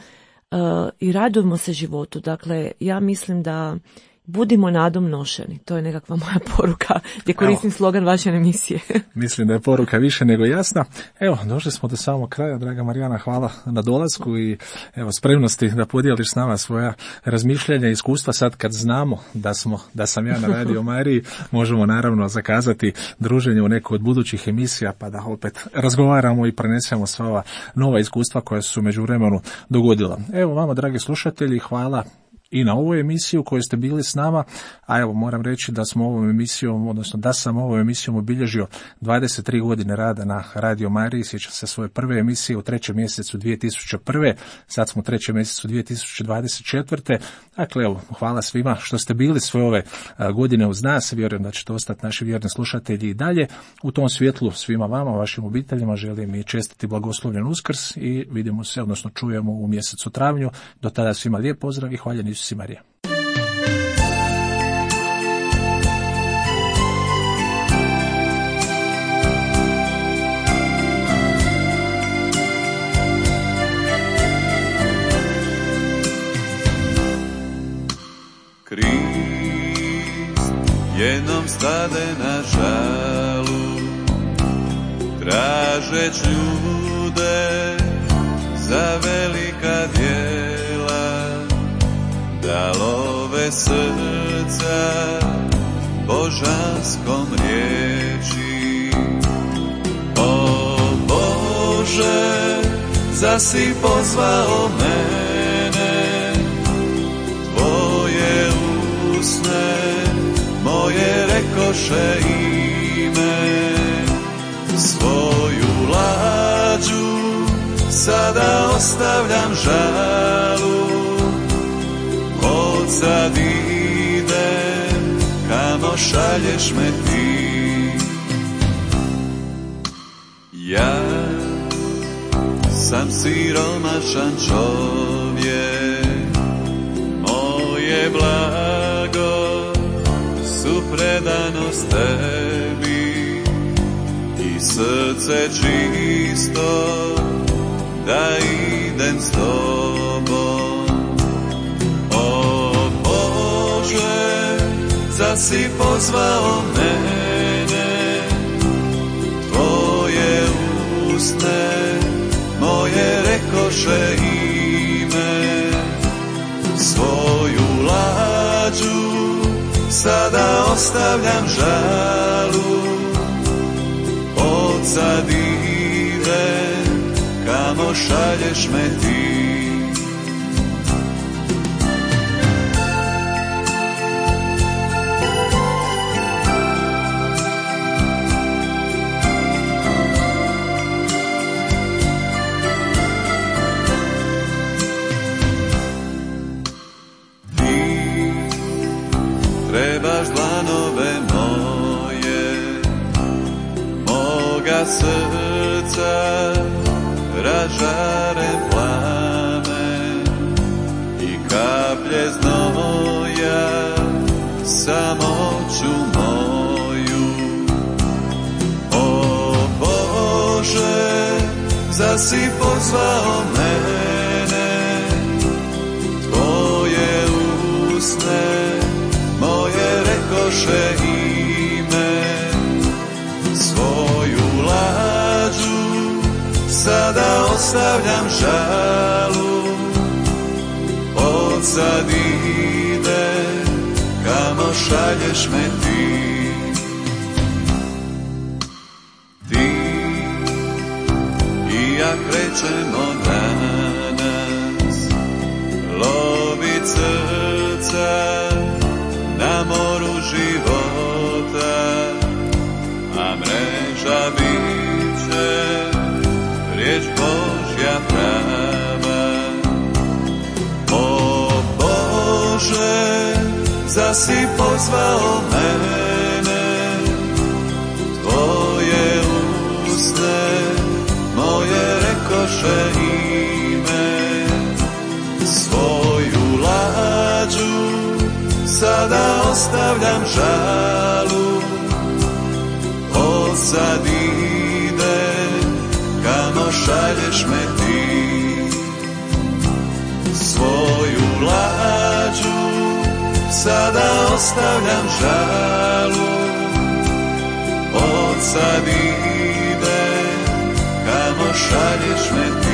i radujemo se životu. Dakle, ja mislim da budimo nadom nošeni. To je nekakva moja poruka gdje koristim slogan vaše emisije. Mislim da je poruka više nego jasna. Evo, došli smo do samog kraja, draga Marijana, hvala na dolasku i evo spremnosti da podijeliš s nama svoja razmišljanja i iskustva. Sad kad znamo da sam ja na Radio Mariji, možemo naravno zakazati druženje u neku od budućih emisija pa da opet razgovaramo i prenesemo sva ova nova iskustva koja su u međuvremenu dogodila. Evo vama, dragi slušatelji, hvala i na ovu emisiju koju ste bili s nama, a evo moram reći da smo ovom emisijom, odnosno da sam ovom emisijom obilježio 23 godine rada na Radio Mariji. Sjećam se svoje prve emisije u 3. mjesecu 2001. Sad smo u 3. mjesecu 2024. Dakle, evo, hvala svima što ste bili sve ove godine uz nas. Vjerujem da ćete ostati naši vjerni slušatelji i dalje. U tom svjetlu svima vama, vašim obiteljima želim i čestiti blagoslovljen Uskrs i vidimo se, odnosno čujemo u mjesecu travnju. Do tada svima lijep pozdrav i hvaljen Isus i Marija. Krist jednom stade na žalu, tražeć ljude za velika djela, da love srca božanskom riječi. O Bože, zasi pozvao mene, tvoje usne moje rekoše ime, svoju lađu sada ostavljam žalu, sad idem kamo šalješ me ti. Ja sam siromašan čovjek, moje blago su predanost tebi i srce čisto da idem s tobom. Zasi pozvao mene, tvoje usne moje rekoše ime, svoju lađu sada ostavljam žalu, od sad idem kamo šalješ me ti. Trebaš dlanove moje, moga srca ražaren plamen i kaplje znoja samoću moju. O Bože, zasi pozvao me, ostavljam žalu, od sad ide, kamo šalješ me ti. Ti i ja krećemo danas, lovit srca na moru života, a mreža biće riječ Božja prava. O Bože, zasi pozvao mene, tvoje usne moje rekoše ime. Svoju lađu sada ostavljam žalu, od sad ide, kamo šalješ me ti. Svoju lađu sada ostavljam žalu, od sad ide, kamo šalješ me ti.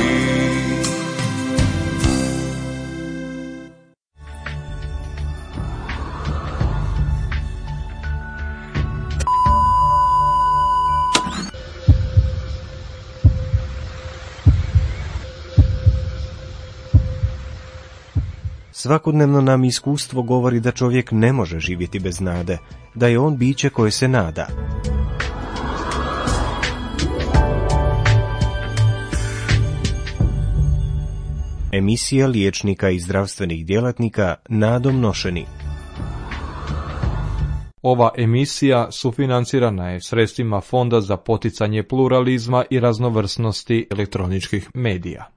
Svakodnevno nam iskustvo govori da čovjek ne može živjeti bez nade, da je on biće koje se nada. Emisija liječnika i zdravstvenih djelatnika Nadom Nošeni. Ova emisija sufinancirana je sredstvima Fonda za poticanje pluralizma i raznovrsnosti elektroničkih medija.